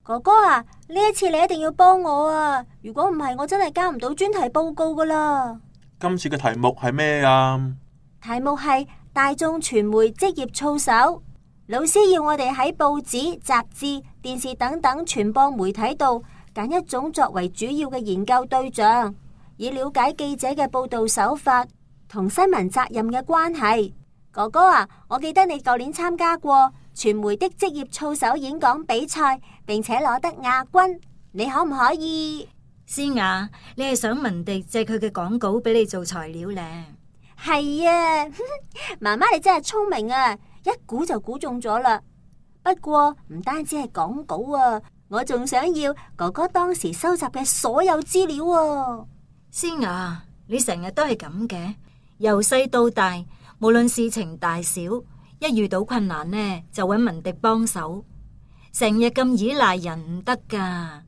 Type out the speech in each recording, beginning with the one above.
哥哥啊，呢一次你一定要幫我啊！如果唔係，我真係交唔到專題報告噶啦。今次嘅題目係咩啊？題目係大眾傳媒職業操守。老師要我哋喺報紙、雜誌、電視等等傳播媒體度揀一種作為主要嘅研究對象，以了解記者嘅報道手法同新聞責任嘅關係。哥哥啊，我記得你舊年參加過傳媒的職業操守演講比賽，並且攞得亞軍，你可唔可以？詩雅，你係想文迪借佢嘅廣稿俾你做材料呢？係啊，媽媽你真係聰明啊，一估就估中咗啦。不過唔單止係廣稿啊，我仲想要哥哥當時收集嘅所有資料啊。詩雅，你成日都係咁嘅，由細到大，無論事情大小，一遇到困難呢，就搵文迪幫手，成日咁依賴人唔得噶。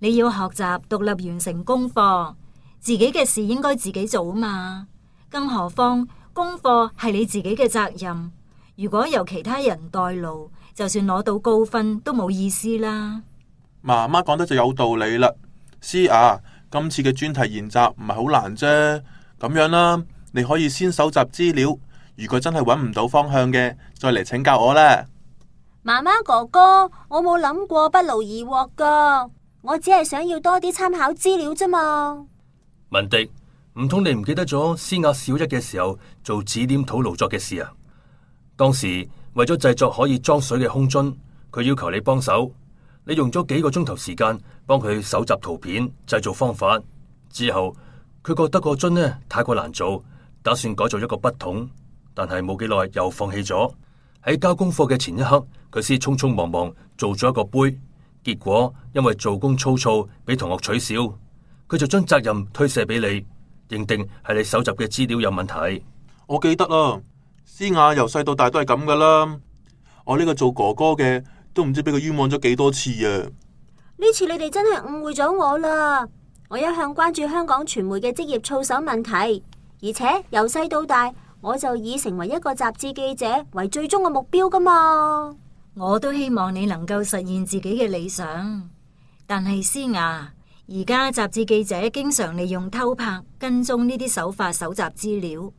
你要學習獨立完成功課，自己嘅事應該自己做啊嘛。更何況功課係你自己嘅責任，如果由其他人代勞，就算攞到高分都冇意思啦。媽媽講得就有道理啦。詩雅，今次嘅專題研習唔係好難啫，咁樣啦，你可以先搜集資料，如果真係揾唔到方向嘅，再嚟請教我啦。媽媽哥哥，我冇諗過不勞而獲噶，我只係想要多啲參考資料啫嘛。文迪，唔通你唔記得咗詩雅小一嘅時候做指點土勞作嘅事啊？當時為咗製作可以裝水嘅空樽，佢要求你幫手，你用咗幾個鐘頭時間幫佢搜集圖片、製造方法。之後佢覺得個樽呢太過難做，打算改造一個筆筒，但係冇幾耐又放棄咗。喺交功課嘅前一刻，佢先匆匆忙忙做咗一個杯，結果因為做工粗糙，俾同學取笑，佢就將責任推卸俾你。認定係你搜集嘅資料有問題。我記得啦，詩雅由細到大都係咁噶啦。我呢個做哥哥嘅都唔知俾佢冤枉咗幾多次啊！呢次你哋真係誤會咗我啦。我一向關注香港傳媒嘅職業操守問題，而且由細到大我就以成為一個雜誌記者為最終嘅目標噶嘛。我都希望你能夠實現自己嘅理想，但係詩雅，而家雜誌記者經常利用偷拍、跟蹤呢啲手法搜集資料，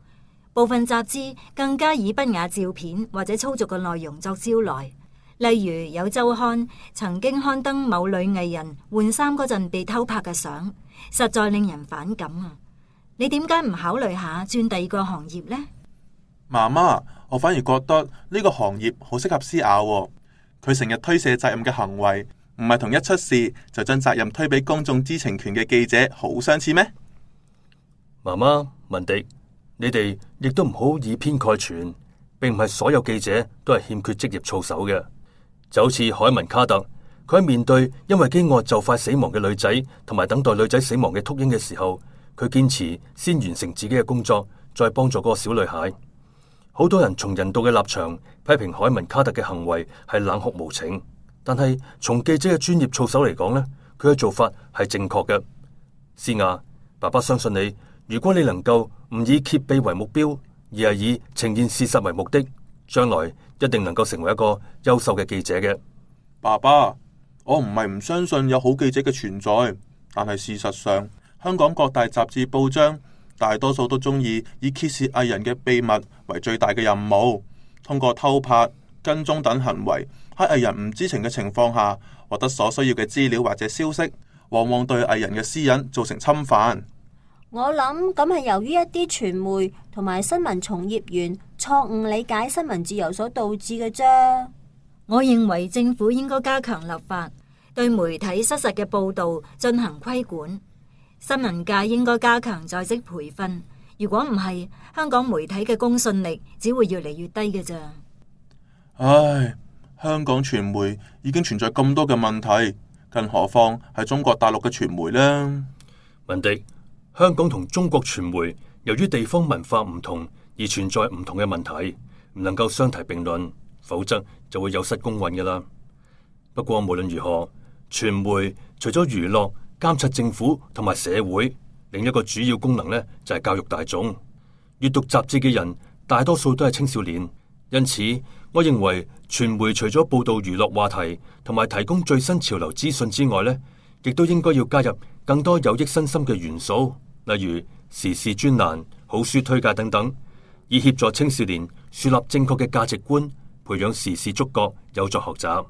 部分雜誌更加以不雅照片或者粗俗嘅內容作招來。例如有週刊曾經刊登某女藝人換衫嗰陣被偷拍嘅相，實在令人反感啊！你點解唔考慮下轉第二個行業呢？媽媽，我反而覺得呢個行業好適合詩雅喎，佢成日推卸責任嘅行為，唔係同一出事就將責任推俾公眾知情權嘅記者好相似咩？媽媽，文迪，你哋亦都唔好以偏概全，並唔係所有記者都係欠缺職業操守嘅。就好似海文卡特，佢喺面對因為飢餓就快死亡嘅女仔，同埋等待女仔死亡嘅禿鷹嘅時候，佢堅持先完成自己嘅工作，再幫助嗰個小女孩。好多人從人道嘅立場批評海文卡特嘅行為係冷酷無情，但係從記者嘅專業操守嚟講呢，佢嘅做法係正確嘅。詩雅，爸爸相信你，如果你能夠唔以揭秘為目標，而係以呈現事實為目的，將來一定能夠成為一個優秀嘅記者嘅。爸爸，我唔係唔相信有好記者嘅存在，但係事實上，香港各大雜誌報章大多數都中意以揭示藝人嘅秘密為最大嘅任務，通過偷拍、跟蹤等行為，喺藝人唔知情嘅情況下獲得所需要嘅資料或者消息，往往對藝人嘅私隱造成侵犯。我諗咁係由於一啲傳媒同埋新聞從業員錯誤理解新聞自由所導致嘅啫。我認為政府應該加強立法，對媒體失實嘅報道進行規管。新聞界應該加強在職培訓，如果唔係，香港媒體嘅公信力只會越嚟越低嘅咋。唉，香港傳媒已經存在咁多嘅問題，更何況係中國大陸嘅傳媒呢？文迪，香港同中國傳媒由於地方文化唔同而存在唔同嘅問題，唔能夠相提並論，否則就會有失公允㗎喇。不過無論如何，傳媒除咗娛樂、監察政府同埋社會，另一個主要功能呢就係教育大眾。閱讀雜誌嘅人大多數都係青少年，因此我認為傳媒除咗報道娛樂話題同埋提供最新潮流資訊之外呢，亦都應該要加入更多有益身心嘅元素，例如時事專欄、好書推介等等，以協助青少年樹立正確嘅價值觀，培養時事觸覺，有助學習。